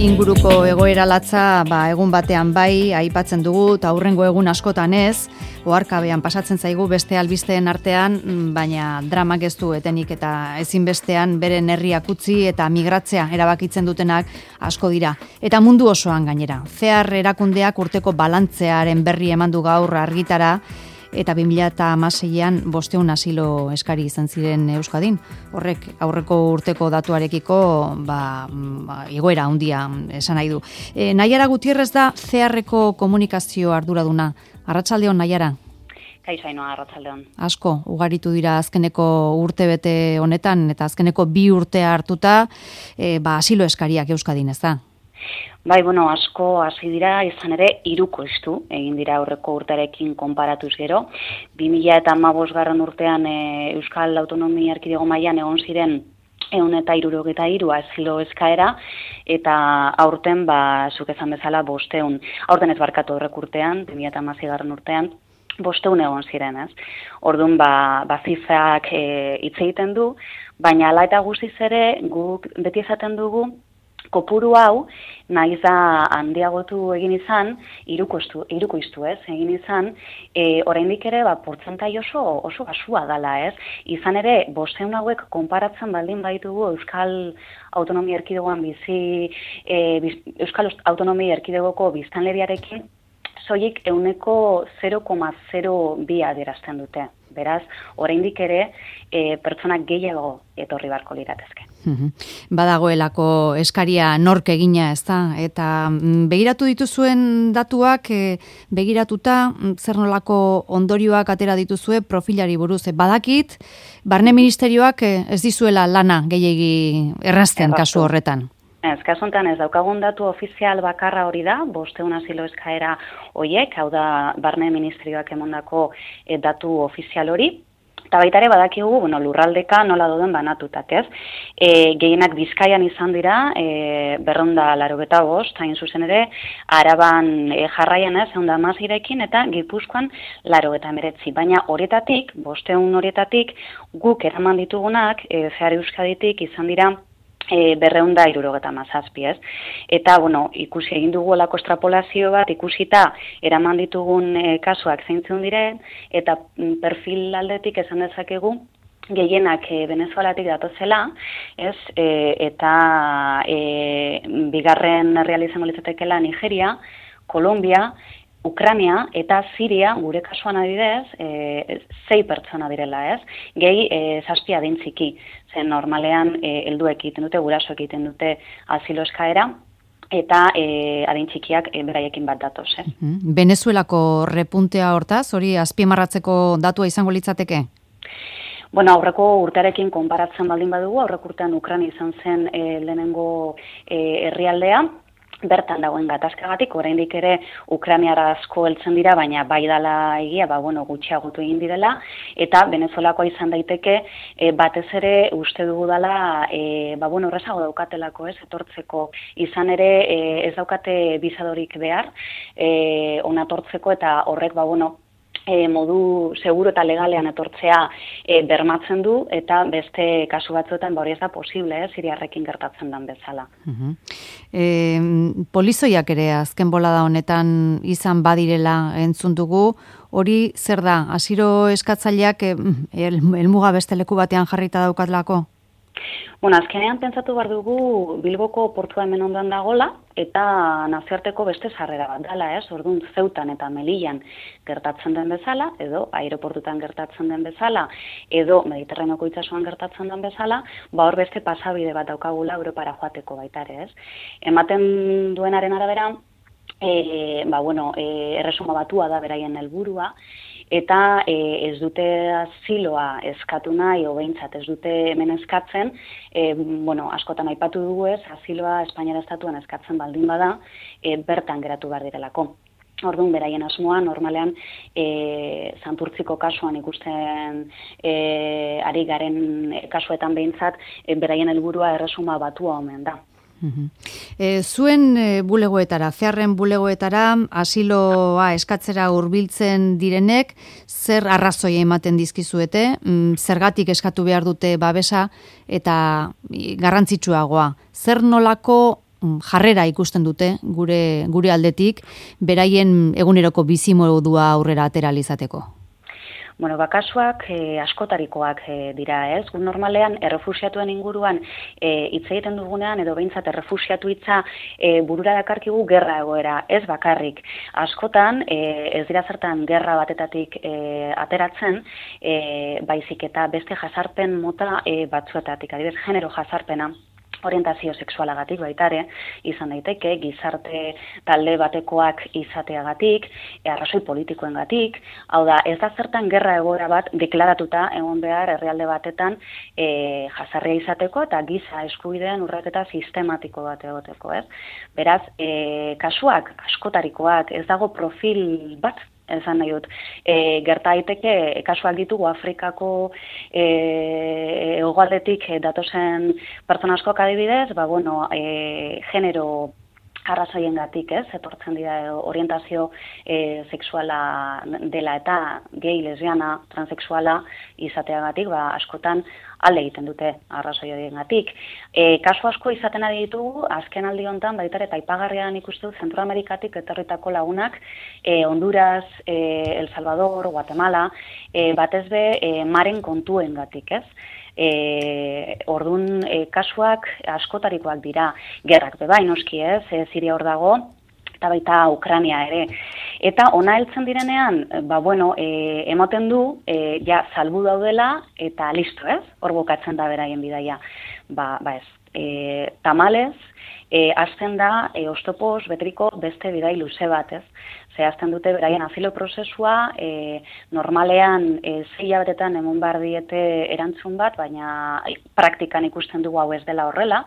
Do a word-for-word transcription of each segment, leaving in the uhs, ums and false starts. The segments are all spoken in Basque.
inguruko egoera latza ba, egun batean bai, aipatzen dugu, eta hurrengo egun askotan ez, oharkabean pasatzen zaigu beste albisteen artean, baina dramak ez du etenik eta ezinbestean beren herriak utzi eta migratzea erabakitzen dutenak asko dira. Eta mundu osoan gainera. Cear erakundeak urteko balantzearen berri eman du gaur argitara, eta bi mila hamaseian bosteun asilo eskari izan ziren Euskadin. Horrek aurreko urteko datuarekiko ba, ba, egoera handia esan nahi du. E, Naiara Gutierrez da Cearreko komunikazio arduraduna. Arratsaldeon, Naiara. Kaixo Ainhoa, arratsaldeon. Asko, ugaritu dira azkeneko urtebete honetan, eta azkeneko bi urtea hartuta e, ba, asilo eskariak Euskadin, ez da? Bai, bueno, asko hasi dira, izan ere, hirukoiztu egin dira aurreko urtearekin konparatuz gero. bi mila hamabosgarren urtean e, Euskal Autonomia Erkidego mailan egon ziren ehun eta hirurogeita hiru asilo eskaera, eta aurten, ba, zuk esan bezala, bosteun. Aurten ez barkatu aurreko urtean, bi mila hamaseigarren urtean, bosteun egon ziren, ez? Orduan, ba, ba zifrak e, hitz egiten du, baina hala eta guztiz ere, guk beti esaten dugu, kopuru hau, nahiz da handiagotu egin izan, hirukoiztu, hirukoiztu ez, egin izan, e, oraindik ere, ba, portzentai oso, oso basua dala, ez? Izan ere, bosteun hauek konparatzen baldin baitugu Euskal Autonomia Erkidegoan bizi, e, biz, Euskal Autonomia Erkidegoko biztanleriarekin, soilik ehuneko zero koma zero bi adierazten dute. Beraz, oraindik ere, e, pertsonak gehiago etorri barko liratezke. Badagoelako eskaria nork egina, ez da? Eta begiratu dituzuen datuak, e, begiratuta, zer nolako ondorioak atera dituzue profilari buruz. E, badakit, Barne Ministerioak e, ez dizuela lana gehiegi errazten kasu horretan. Ez, kasu honetan ez daukagun datu ofizial bakarra hori da, bosteun asilo eskaera horiek, hau da Barne Ministerioak emondako e, datu ofizial hori. Eta baita ere badakigu, bueno, lurraldeka nola doden banatutak, ez? E, gehienak Bizkaian izan dira, e, berrehunda laurogeita bost, hain zuzen ere, Araban e, jarraian ez, ehun eta hamaseirekin, eta Gipuzkoan laurogeita hemeretzi. Baina horietatik, bosteun horietatik, guk eraman ditugunak, e, Cear Euskaditik izan dira, E, berreunda hirurogeta mazazpi, ez? Eta, bueno, ikusi egin dugu olako estrapolazio bat, ikusita eraman ditugun e, kasuak zeintzun diren, eta perfil aldetik esan dezakegu, gehienak e, Venezuelatik datozela, ez? E, eta e, bigarren herrialde izango litzatekeela Nigeria, Kolombia, Ukraina eta Siria, gure kasuan adibidez, e, zei pertsona direla, ez? Gehi, e, zazpi adintziki, zen normalean e, helduek egiten dute, gurasoek egiten dute asilo eskaera, eta e, adintzikiak e, beraiekin bat datoz, ez? Venezuelako repuntea hortaz, hori azpimarratzeko datua izango litzateke? Bueno, aurreko urtearekin konparatzen baldin badugu, aurreko urtean Ukraina izan zen e, lehenengo e, herrialdea, bertan dagoen gatazkagatik, oraindik ere Ukrainiara asko heltzen dira, baina bai dala egia, ba, bueno, gutxiagotu egin direla, eta Venezuelakoa izan daiteke, e, batez ere uste dugu dala, e, ba, bueno, horrezago daukatelako, ez, etortzeko, izan ere e, ez daukate bizadorik behar, e, onatortzeko, eta horrek, ba, bueno, E, modu seguro eta legalean etortzea e, bermatzen du, eta beste kasu batzuetan hori ez da posible, eh, siriarrekin gertatzen den bezala. Uh-huh. e, polizoiak ere azken bolada honetan izan badirela entzun dugu, hori zer da, asilo eskatzaileak e, el, elmuga beste leku batean jarrita daukatlako? Bueno, azkenean pentsatu behar dugu Bilboko portua hemen ondan dagola, eta nazioarteko beste sarrera bat dela, ez? Orduan Zeutan eta Melillan gertatzen den bezala, edo aireportutan gertatzen den bezala, edo Mediterraneoko itsasoan gertatzen den bezala, ba hor beste pasabide bat daukagula Europara joateko baita ere, ez? Ematen duenaren arabera, e, ba bueno, e, erresuma batua da beraien helburua, eta e, ez dute asiloa eskatu nahi, o behintzat ez dute hemen eskatzen, e, bueno, askotan aipatu dugu ez, asiloa Espainiara estatuan eskatzen baldin bada, e, bertan geratu behar direlako. Orduan, beraien asmoa, normalean, e, Santurtziko kasuan ikusten e, ari garen kasuetan behintzat, e, beraien helburua erresuma batua omen da. E, zuen e, bulegoetara, Cearren bulegoetara, asiloa eskatzera hurbiltzen direnek, zer arrazoi ematen dizkizuete, mm, zergatik eskatu behar dute babesa, eta garrantzitsuagoa, zer nolako jarrera ikusten dute gure gure aldetik, beraien eguneroko bizimodua aurrera atera izateko? Bueno, bakasuak e, askotarikoak e, dira, ez? Gu normalean errefuxiatuen inguruan e, hitz egiten dugunean edo behintzat errefuxiatu hitza e, burura dakarkigu gerra egoera, ez bakarrik. Askotan e, ez dira zertan gerra batetatik e, ateratzen, e, baizik eta beste jazarpen mota e, batzuetatik, adibidez genero jazarpena. Orientazio sexualagatik baitare, izan daiteke, gizarte talde batekoak izateagatik, arrazoi politikoengatik, hau da, ez da zertan gerra egoera bat deklaratuta egon behar herrialde batetan e, jazarria izateko eta giza eskubideen urraketa sistematiko bat egoteko, ez? Beraz, e, kasuak askotarikoak, ez dago profil bat, esan nahi dut, e, gerta daiteke kasuak ditugu Afrikako e, hegoaldetik datozen pertsona askok adibidez, ba bueno, e, genero arrazoiengatik, ez, etortzen dira orientazio e, sexuala dela eta gay, lesbiana, transexuala izateagatik, ba askotan alde egiten dute arrazoi horiengatik. E, kasu asko izaten ari ditugu, azken aldi honetan, baita eta aipagarrian ikustu Zentroamerikatik etorritako lagunak, e, Honduras, e, El Salvador, Guatemala, e, batez be e, maren kontuengatik, ez? E, ordun e, kasuak askotarikoak dira, gerrak bebai noski, ez? E, Siria hor dago, eta baita Ukrania ere. Eta ona heltzen direnean, ba bueno, e, emoten du, e, ja salbu daudela eta listo, ez? Hor bukatzen da beraien bidaia. Ba, ba ez, e, tamalez, e, hasten da e, oztopoz beteriko beste bidai luze bat, ez? Zehazten dute beraien asilo prozesua, e, normalean e, zei hilabetetan emon behar diete erantzun bat, baina praktikan ikusten dugu hau ez dela horrela,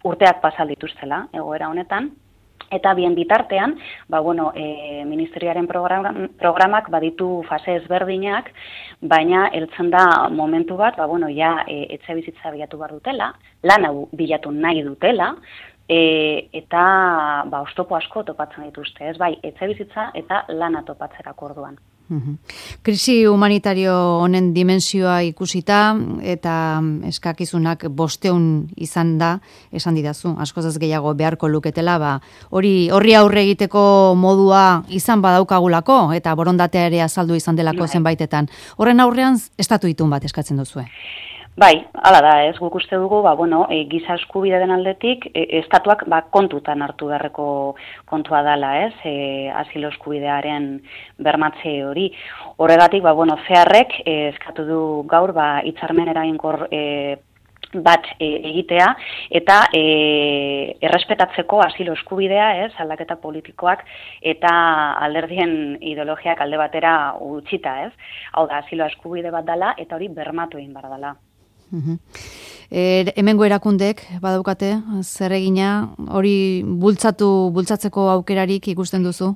urteak pasal dituztela egoera honetan. Eta bien bitartean, ba, bueno, e, Ministerioaren program, programak baditu fase ezberdinak, baina heltzen da momentu bat, ba, bueno, ja, e, etxe bizitza bilatu behar dutela, lana bilatu nahi dutela, e, eta ba, oztopo asko topatzen dituzte, ez bai, etxe bizitza eta lana topatzerako orduan. Krisi humanitario honen dimensioa ikusita eta eskakizunak bosteun izan da, esan didazu, askoz ez gehiago beharko luketela, ba, hori horri aurre egiteko modua izan badaukagulako eta borondatea ere azaldu izan delako bai. Zenbaitetan. Horren aurrean estatu itun bat eskatzen duzue. Bai, hala da, ez, guk uste dugu, ba, bueno, e, giza eskubide den aldetik, e, estatuak ba, kontutan hartu beharreko kontua dela, ez, e, asilo eskubidearen bermatze hori. Horregatik, ba, bueno, zeharrek e, eskatu du gaur, ba, hitzarmen eraginkor e, bat e, egitea, eta e, errespetatzeko asilo eskubidea, ez, aldaketa politikoak, eta alderdien ideologiak alde batera utxita, ez. Hau da, asilo eskubide bat dela, eta hori bermatu egin behar dela. Uh-huh. E, hemengo erakundek badaukate zer egina hori bultzatu bultzatzeko aukerarik ikusten duzu?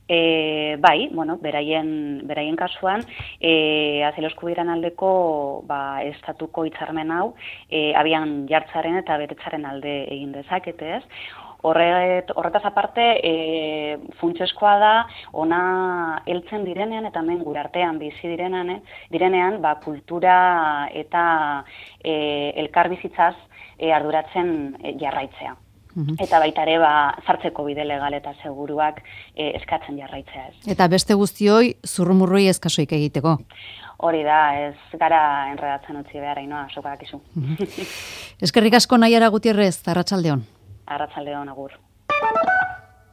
E, bai, bueno, beraien beraien kasuan, eh asilo eskubidearen aldeko ba estatuko hitzarmen hau e, abian jartzaren eta betetzaren alde egin dezakete, ez? Horret, horretaz aparte, e, funtsezkoa da, ona heltzen direnean eta hemen gure artean bizi direnean, eh? direnean ba, kultura eta e, elkarbizitzaz e, arduratzen e, jarraitzea. Uhum. Eta baita ere, ba, zartzeko bide legal eta seguruak e, eskatzen jarraitzea ez. Eta beste guztioi, zurrumurroi eskasoik egiteko. Hori da, ez gara enredatzen utzi behar, inoa, sokadak izu. Eskerrik asko Naiara Gutierrez, Arratsaldeon. Arratsaldeon, agur.